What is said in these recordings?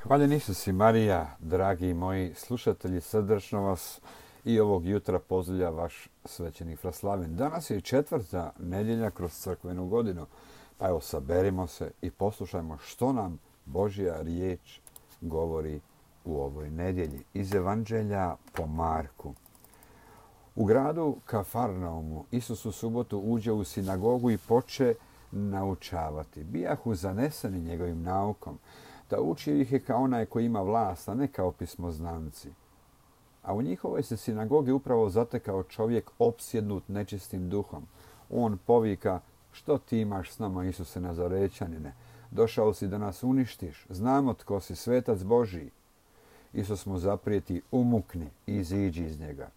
Hvaljen Isus i Marija, dragi moji slušatelji, srdačno vas i ovog jutra pozdravlja vaš svećenik Fraslaven. Danas je četvrta nedjelja kroz crkvenu godinu, pa evo saberimo se i poslušajmo što nam Božja riječ govori u ovoj nedjelji. Iz Evanđelja po Marku. U gradu Kafarnaumu Isus u subotu uđe u sinagogu i poče naučavati. Bijahu zaneseni njegovim naukom, da učio ih je kao onaj koji ima vlast, a ne kao pismoznanci. A u njihovoj se sinagogi upravo zatekao čovjek opsjednut nečistim duhom. On povika: što ti imaš s nama, Isuse Nazarećanine? Došao si da nas uništiš, znamo tko si, svetac Božiji. Isus mu zaprijeti: umukni i iziđi iz njega.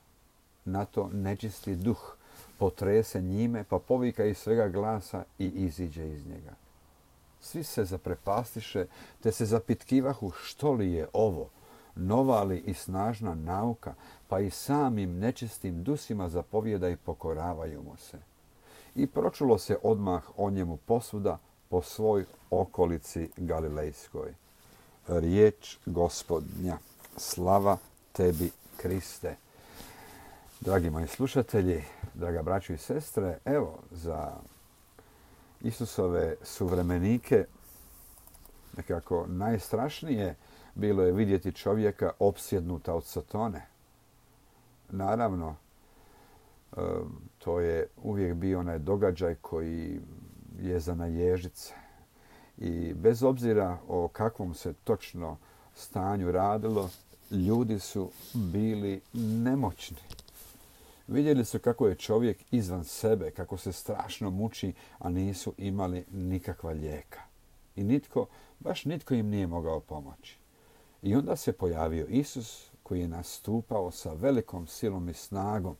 Na to nečisti duh potrese njime, pa povika iz svega glasa i iziđe iz njega. Svi se zaprepastiše, te se zapitkivahu što li je ovo, nova li i snažna nauka, pa i samim nečistim dusima zapovjeda i pokoravaju mu se. I pročulo se odmah o njemu posvuda po svoj okolici Galilejskoj. Riječ Gospodnja. Slava tebi, Kriste. Dragi moji slušatelji, draga braćo i sestre, evo za Isusove suvremenike nekako najstrašnije bilo je vidjeti čovjeka opsjednuta od Satone. Naravno, to je uvijek bio onaj događaj koji je za naježice. I bez obzira o kakvom se točno stanju radilo, ljudi su bili nemoćni. Vidjeli su kako je čovjek izvan sebe, kako se strašno muči, a nisu imali nikakva lijeka. I baš nitko im nije mogao pomoći. I onda se pojavio Isus koji je nastupao sa velikom silom i snagom.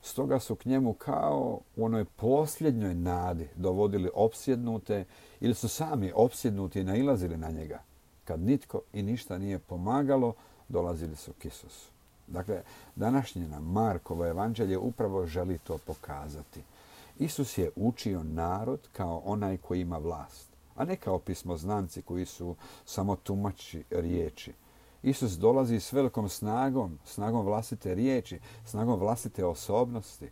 Stoga su k njemu kao u onoj posljednjoj nadi dovodili opsjednute ili su sami opsjednuti i nailazili na njega. Kad nitko i ništa nije pomagalo, dolazili su k Isusu. Dakle, današnje nam Markovo evanđelje upravo želi to pokazati. Isus je učio narod kao onaj koji ima vlast, a ne kao pismoznanci koji su samo tumači riječi. Isus dolazi s velikom snagom vlastite riječi, snagom vlastite osobnosti.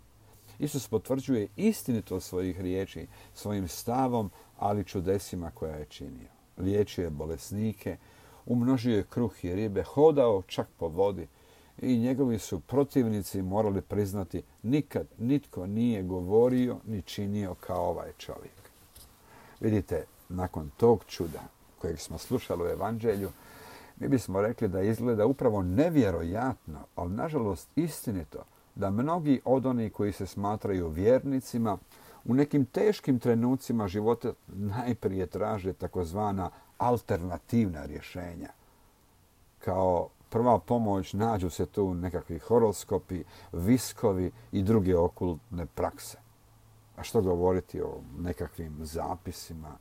Isus potvrđuje istinitost svojih riječi, svojim stavom, ali čudesima koja je činio. Liječio je bolesnike, umnožio je kruh i ribe, hodao čak po vodi. I njegovi su protivnici morali priznati: nikad nitko nije govorio ni činio kao ovaj čovjek. Vidite, nakon tog čuda kojeg smo slušali u evanđelju, mi bismo rekli da izgleda upravo nevjerojatno, ali nažalost istinito, da mnogi od onih koji se smatraju vjernicima u nekim teškim trenucima života najprije traže takozvana alternativna rješenja. Kao prva pomoć nađu se tu nekakvi horoskopi, viskovi i druge okultne prakse. A što govoriti o nekakvim zapisima,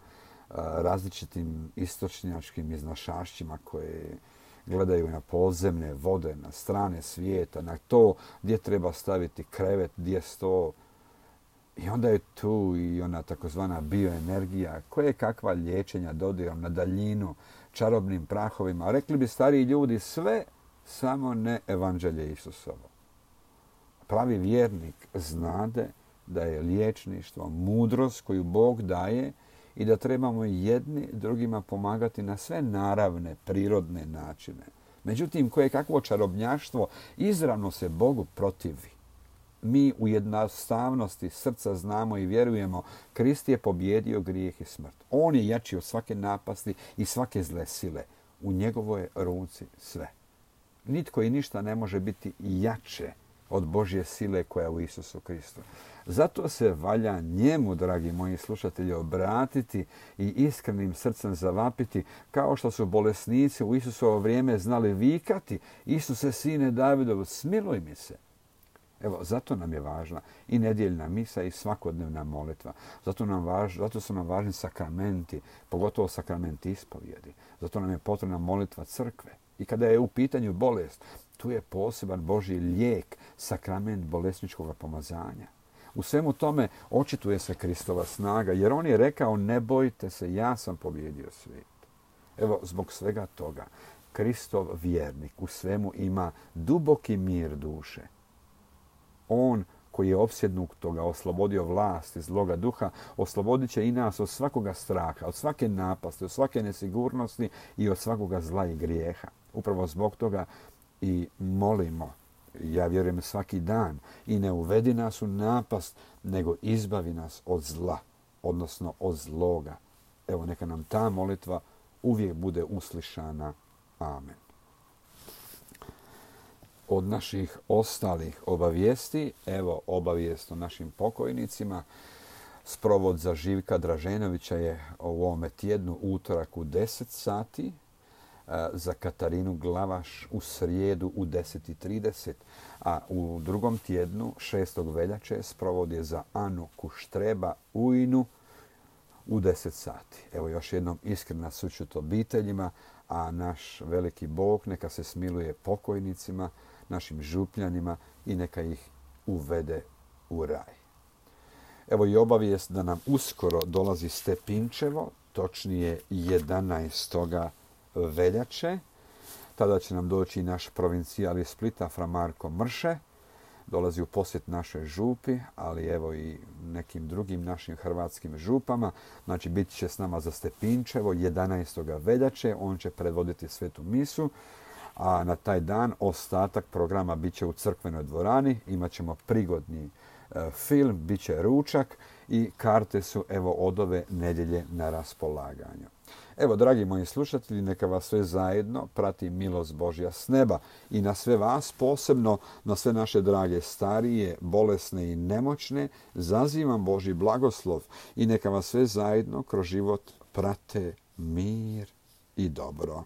različitim istočnjačkim iznašašćima koje gledaju na podzemne vode, na strane svijeta, na to gdje treba staviti krevet, gdje sto. I onda je tu i ona takozvana bioenergija, koje kakva liječenja dodirom na daljinu, čarobnim prahovima. Rekli bi stariji ljudi sve, samo ne evanđelje Isusovo. Pravi vjernik znade da je liječništvo mudrost koju Bog daje i da trebamo jedni drugima pomagati na sve naravne, prirodne načine. Međutim, koje kakvo čarobnjaštvo izravno se Bogu protivi. Mi u jednostavnosti srca znamo i vjerujemo: Krist je pobjedio grijeh i smrt. On je jači od svake napasti i svake zle sile. U njegovoj ruci sve. Nitko i ništa ne može biti jače od Božje sile koja je u Isusu Kristu. Zato se valja njemu, dragi moji slušatelji, obratiti i iskrenim srcem zavapiti, kao što su bolesnici u Isusovo vrijeme znali vikati: Isuse, sine Davidov, smiluj mi se. Evo, zato nam je važna i nedjeljna misa i svakodnevna molitva. Zato su nam važni sakramenti, pogotovo sakramenti ispovjedi. Zato nam je potrebna molitva crkve. I kada je u pitanju bolest, tu je poseban Božji lijek, sakrament bolesničkog pomazanja. U svemu tome očituje se Kristova snaga, jer on je rekao: ne bojte se, ja sam pobjedio svijet. Evo, zbog svega toga, Kristov vjernik u svemu ima duboki mir duše. On koji je opsjednut toga, oslobodio vlasti zloga duha, oslobodit će i nas od svakoga straha, od svake napasti, od svake nesigurnosti i od svakoga zla i grijeha. Upravo zbog toga i molimo, ja vjerujem svaki dan, i ne uvedi nas u napast, nego izbavi nas od zla, odnosno od zloga. Evo, neka nam ta molitva uvijek bude uslišana. Amen. Od naših ostalih obavijesti, evo obavijest o našim pokojnicima. Sprovod za Živka Draženovića je u ovome tjednu utorak u 10 sati, za Katarinu Glavaš u srijedu u 10:30, a u drugom tjednu 6. veljače sprovod je za Anu Kuštreba Ujnu u 10 sati. Evo još jednom iskrena sućut obiteljima, a naš veliki Bog neka se smiluje pokojnicima, našim župljanima i neka ih uvede u raj. Evo i obavijest da nam uskoro dolazi Stepinčevo, točnije 11. veljače. Tada će nam doći naš provincijal iz Splita, fra Marko Mrše. Dolazi u posjet našoj župi, ali evo i nekim drugim našim hrvatskim župama. Znači, bit će s nama za Stepinčevo 11. veljače. On će predvoditi svetu misu. A na taj dan ostatak programa bit će u crkvenoj dvorani. Imaćemo prigodni film, bit će ručak i karte su evo od ove nedjelje na raspolaganju. Evo, dragi moji slušatelji, neka vas sve zajedno prati milost Božja s neba i na sve vas, posebno na sve naše drage starije, bolesne i nemoćne, zazivam Božji blagoslov i neka vas sve zajedno kroz život prate mir i dobro.